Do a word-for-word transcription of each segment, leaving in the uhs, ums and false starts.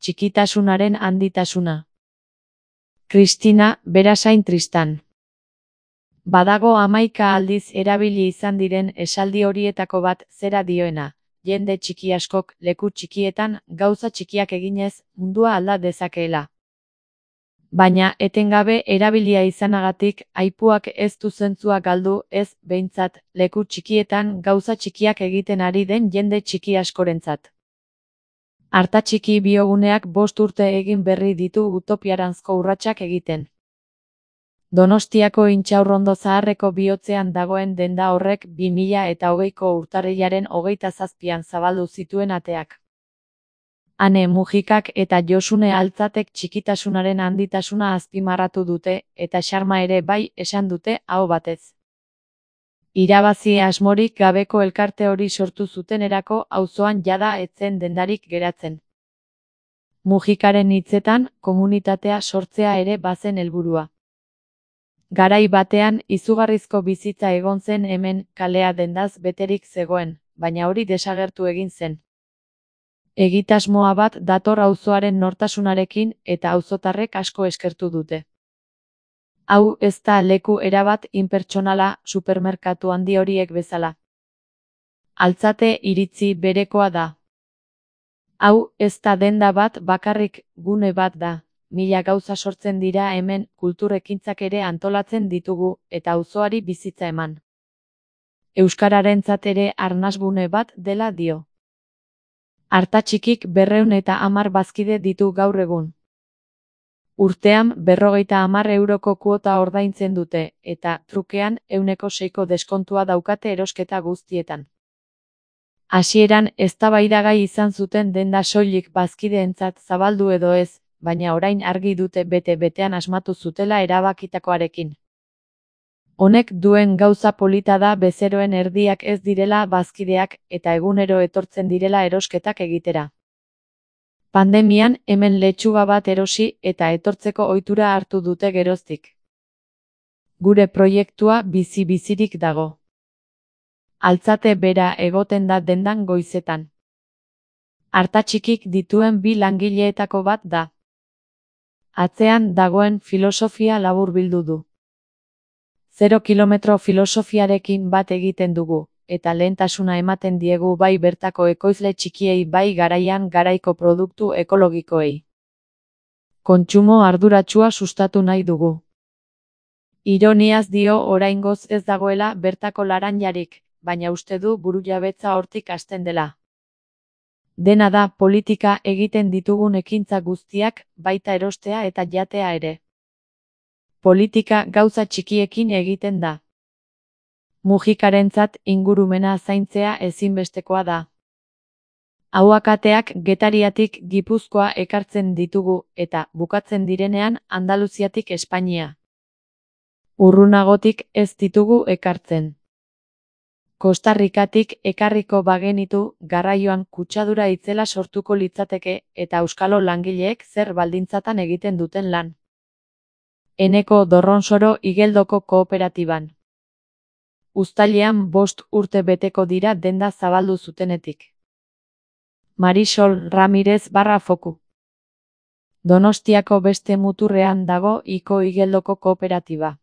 txikitasunaren handitasuna. Kristina Berasain Tristan. Badago hamaika aldiz erabili izan diren esaldi horietako bat zera dioena, jende txiki askok leku txikietan gauza txikiak eginez mundua alda dezakeela. Baina etengabe erabilia izanagatik aipuak ez du zentzua galdu, ez behintzat leku txikietan gauza txikiak egiten ari den jende txiki askorentzat. Artatxiki bioguneak bost urte egin berri ditu utopiaranzko urratsak egiten. Donostiako Intxaurrondo Zaharreko bihotzean dagoen denda horrek bi mila eta hogeiko urtarrilaren hogeita zazpian zabaldu zituen ateak. Ane Mujikak eta Josune Altzatek txikitasunaren handitasuna azpimarratu dute, eta xarma ere bai esan dute aho batez. Irabazi asmorik gabeko elkarte hori sortu zutenerako auzoan jada ez zen dendarik geratzen. Mujikaren hitzetan, komunitatea sortzea ere bazen helburua. Garai batean izugarrizko bizitza egon zen hemen, kalea dendaz beterik zegoen, baina hori desagertu egin zen. Egitasmoa bat dator auzoaren nortasunarekin eta auzotarrek asko eskertu dute. Hau ez da leku erabat inpertsonala supermerkatu handi horiek bezala. Altzate iritzi berekoa da. Hau ez da denda bat bakarrik, gune bat da. Mila gauza sortzen dira hemen, kulturekintzak ere antolatzen ditugu, eta auzoari bizitza eman. Euskararentzat ere arnasgune bat dela dio. Artatxikik berrehun eta hamar bazkide ditu gaur egun. Urtean berrogeita hamar euroko kuota ordaintzen dute, eta trukean ehuneko seiko deskontua daukate erosketa guztietan. Hasieran eztabaidagai izan zuten denda soilik bazkideentzat zabaldu edo ez, baina orain argi dute bete-betean asmatu zutela erabakitakoarekin. Honek duen gauza polita da bezeroen erdiak ez direla bazkideak eta egunero etortzen direla erosketak egitera. Pandemian hemen letxuga bat erosi eta etortzeko ohitura hartu dute geroztik. Gure proiektua bizi-bizirik dago. Altzate bera egoten da dendan goizetan. Artatxikik dituen bi langileetako bat da. Atzean dagoen filosofia laburbildu du. Zero kilometro filosofiarekin bat egiten dugu, eta lehentasuna ematen diegu bai bertako ekoizle txikiei bai garaian garaiko produktu ekologikoei. Kontsumo arduratsua sustatu nahi dugu. Ironiaz dio oraingoz ez dagoela bertako laranjarik, baina uste du burujabetza hortik hasten dela. Dena da politika egiten ditugun ekintza guztiak, baita erostea eta jatea ere. Politika gauza txikiekin egiten da. Mujikarentzat ingurumena zaintzea ezinbestekoa da. Ahuakateak Getariatik Gipuzkoa ekartzen ditugu eta bukatzen direnean Andaluziatik Espainia. Urrunagotik ez ditugu ekartzen. Kostarrikatik ekarriko bagenitu garraioan kutsadura itzela sortuko litzateke eta euskalo langileek zer baldintzatan egiten duten lan. Eneko Dorronsoro Igeldoko kooperatiban. Uztailean bost urte beteko dira denda zabaldu zutenetik. Marisol Ramirez barra foku. Donostiako beste muturrean dago Iko Igeldoko kooperatiba.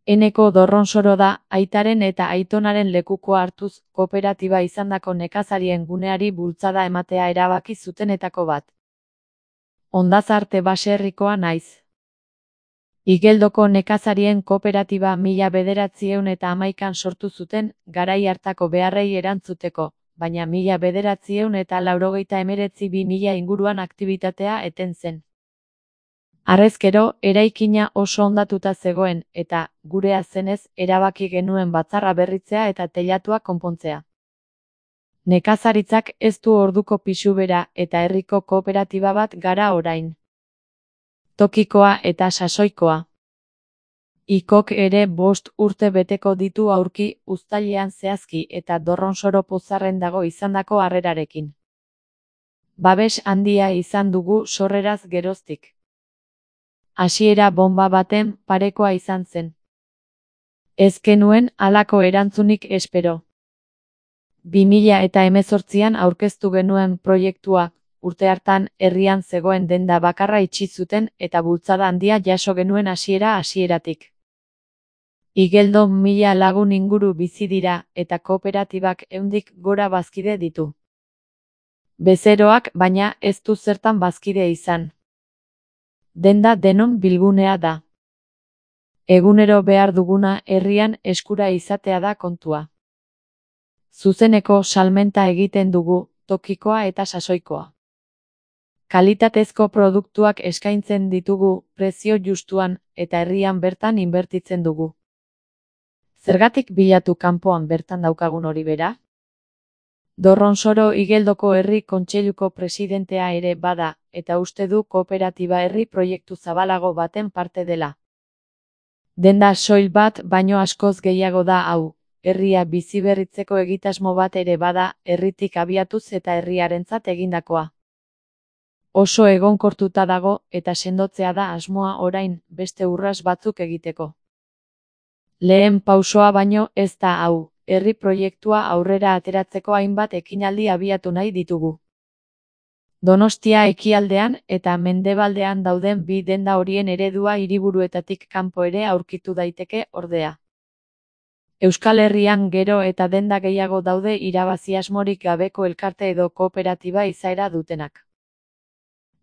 Eneko Dorronsoro da, aitaren eta aitonaren lekukoa hartuz, kooperatiba izandako nekazarien guneari bultzada ematea erabaki zutenetako bat. Hondazarte baserrikoa naiz. Igeldoko nekazarien kooperatiba mila bederatziehun eta hamaikan sortu zuten, garai hartako beharrei erantzuteko, baina mila bederatziehun eta laurogeita hemeretzi bi mila inguruan aktibitatea eten zen. Harrezkero, eraikina oso hondatuta zegoen, eta, gurea zenez, erabaki genuen batzarra berritzea eta teilatua konpontzea. Nekazaritzak ez du orduko pisu bera eta herriko kooperatiba bat gara orain. Tokikoa eta sasoikoa. Ikok ere bost urte beteko ditu aurki uztailean zehazki eta Dorronsoro pozarren dago izandako harrerarekin. Babes handia izan dugu sorreraz geroztik. Hasiera bonba baten parekoa izan zen. Ez genuen halako erantzunik espero. bi mila eta hemezortzian aurkeztu genuen proiektua, urte hartan herrian zegoen denda bakarra itxi zuten eta bultzada handia jaso genuen hasiera hasieratik. Igeldo mila lagun inguru bizi dira eta kooperatibak ehundik gora bazkide ditu. Bezeroak baina ez du zertan bazkide izan. Denda denon bilgunea da. Egunero behar duguna herrian eskura izatea da kontua. Zuzeneko salmenta egiten dugu, tokikoa eta sasoikoa. Kalitatezko produktuak eskaintzen ditugu, prezio justuan, eta herrian bertan inbertitzen dugu. Zergatik bilatu kanpoan bertan daukagun hori bera? Dorronsoro Igeldoko Herri Kontseiluko presidentea ere bada, eta uste du kooperatiba herri proiektu zabalago baten parte dela. Denda soil bat baino askoz gehiago da hau, herria biziberritzeko egitasmo bat ere bada, herritik abiatuz eta herriarentzat egindakoa. Oso egonkortuta dago eta sendotzea da asmoa orain beste urras batzuk egiteko. Lehen pausoa baino ez da hau, herri proiektua aurrera ateratzeko hainbat ekinaldi abiatu nahi ditugu. Donostia ekialdean eta mendebaldean dauden bi denda horien eredua hiriburuetatik kanpo ere aurkitu daiteke ordea. Euskal Herrian gero eta denda gehiago daude irabazi asmorik gabeko elkarte edo kooperatiba izaera dutenak.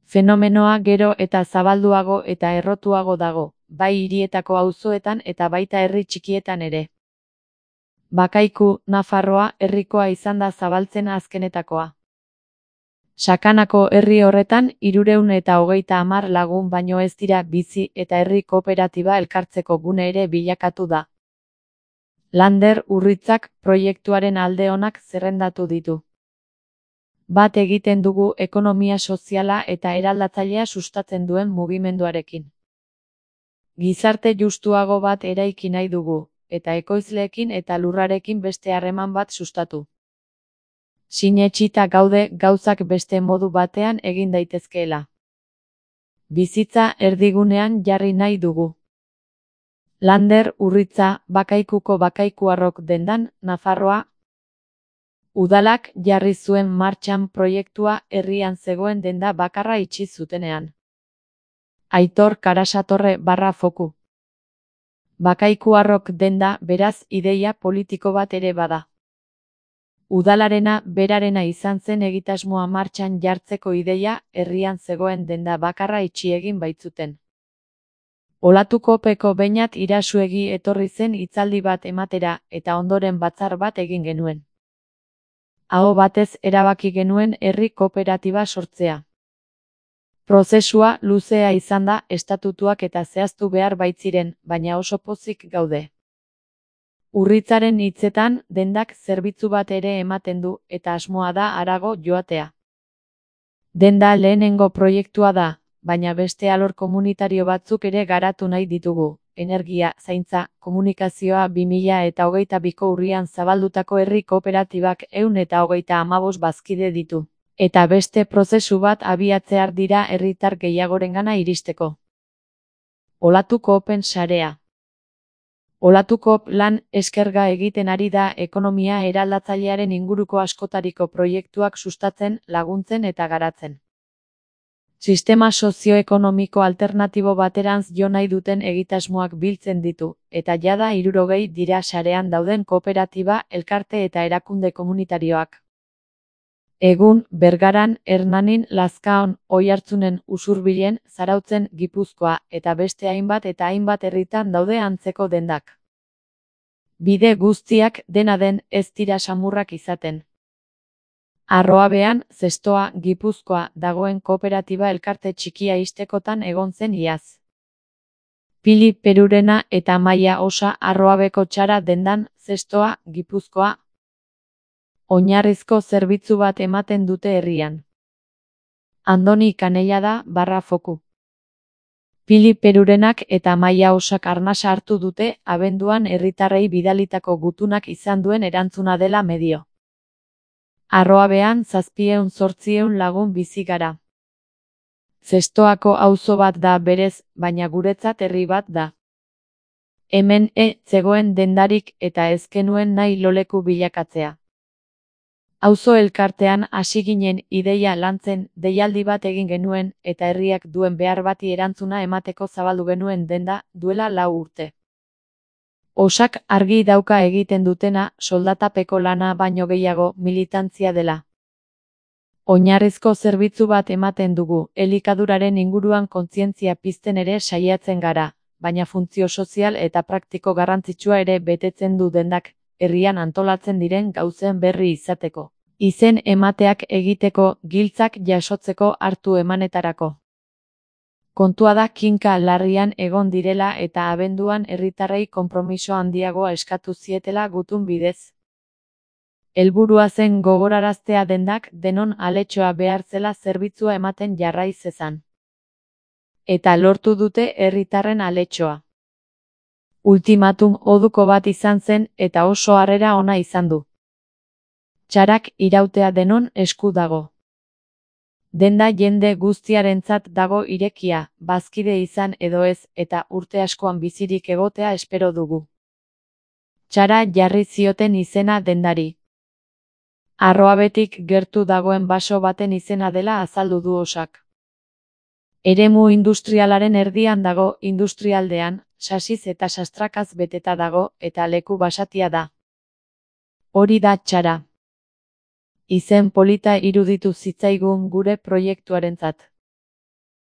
Fenomenoa gero eta zabalduago eta errotuago dago, bai hirietako auzoetan eta baita herri txikietan ere. Bakaiku, Nafarroa, herrikoa izan da zabaltzen azkenetakoa. Sakanako herri horretan hirurehun eta hogeita hamar lagun baino ez dira bizi eta herri kooperatiba elkartzeko gune ere bilakatu da. Lander Urritzak proiektuaren alde onak zerrendatu ditu. Bat egiten dugu ekonomia soziala eta eraldatzailea sustatzen duen mugimenduarekin. Gizarte justuago bat eraiki nahi dugu, eta ekoizleekin eta lurrarekin beste harreman bat sustatu. Sinetsita gaude gauzak beste modu batean egin daitezkeela. Bizitza erdigunean jarri nahi dugu. Lander Urritza, Bakaikuko Bakaikuarrok dendan, Nafarroa. Udalak jarri zuen martxan proiektua herrian zegoen denda bakarra itxi zutenean. Aitor Karasatorre barra foku. Bakaikuarrok denda beraz ideia politiko bat ere bada. Udalarena berarena izan zen egitasmoa martxan jartzeko ideia herrian zegoen denda bakarra itxi egin baitzuten. Olatukopeko Beñat Irasuegi etorri zen hitzaldi bat ematera eta ondoren batzar bat egin genuen. Aho batez erabaki genuen herri kooperatiba sortzea. Prozesua luzea izan da estatutuak eta zehaztu behar baitziren, baina oso pozik gaude. Urritzaren hitzetan dendak zerbitzu bat ere ematen du eta asmoa da harago joatea. Denda lehenengo proiektua da, baina beste alor komunitario batzuk ere garatu nahi ditugu. Energia, zaintza, komunikazioa bi mila eta hogeita biko urrian zabaldutako herri kooperatibak ehun eta hogeita hamabost bazkide ditu. Eta beste prozesu bat abiatzear dira herritar gehiagorengana iristeko. Olatukoopen sarea. Olatukop lan eskerga egiten ari da ekonomia eraldatzailearen inguruko askotariko proiektuak sustatzen, laguntzen eta garatzen. Sistema sozioekonomiko alternatibo baterantz jo nahi duten egitasmoak biltzen ditu, eta jada hirurogei dira sarean dauden kooperatiba, elkarte eta erakunde komunitarioak. Egun, Bergaran, Hernanin, Lazkaon, Oiartzunen, Usurbilen, Zarautzen, Gipuzkoa, eta beste hainbat eta hainbat herritan daude antzeko dendak. Bide guztiak dena den ez dira samurrak izaten. Arroabean, Zestoa, Gipuzkoa, dagoen kooperatiba elkarte txikia istekotan egon zen iaz. Pili Perurena eta Maia Osa Arroabeko txara dendan, Zestoa, Gipuzkoa. Oinarrizko zerbitzu bat ematen dute herrian. Andoni Kaneia da barra foku. Pili Perurenak eta Maia Osak arnasa hartu dute abenduan herritarrei bidalitako gutunak izan duen erantzuna dela medio. Arroabean zazpieun zortzieun lagun bizi gara. Zestoako auzo bat da berez, baina guretzat herri bat da. Hemen e zegoen dendarik eta ez genuen nahi loleku bilakatzea. Auzo elkartean hasi ginen ideia lantzen, deialdi bat egin genuen, eta herriak duen behar bati erantzuna emateko zabaldu genuen denda, duela lau urte. Osak argi dauka egiten dutena, soldatapeko lana baino gehiago, militantzia dela. Oinarrizko zerbitzu bat ematen dugu, elikaduraren inguruan kontzientzia pizten ere saiatzen gara, baina funtzio sozial eta praktiko garrantzitsua ere betetzen du dendak, herrian antolatzen diren gauzen berri izateko. Izen emateak egiteko, giltzak jasotzeko hartu emanetarako. Kontua da kinka larrian egon direla eta abenduan herritarrei konpromiso handiagoa eskatu zietela gutun bidez. Helburua zen gogoraraztea dendak denon aletxoa behar zela zerbitzua ematen jarrai zezan. Eta lortu dute herritarren aletxoa. Ultimatum oduko bat izan zen eta oso harrera ona izan du. Txarak irautea denon esku dago. Denda jende guztiarentzat dago irekia, bazkide izan edo ez, eta urte askoan bizirik egotea espero dugu. Txara jarri zioten izena dendari. Arroabetik gertu dagoen baso baten izena dela azaldu du Osak. Eremu industrialaren erdian dago, industrialdean, sasiz eta sastrakaz beteta dago, eta leku basatia da. Hori da Txara. Izen polita iruditu zitzaigun gure proiektuarentzat.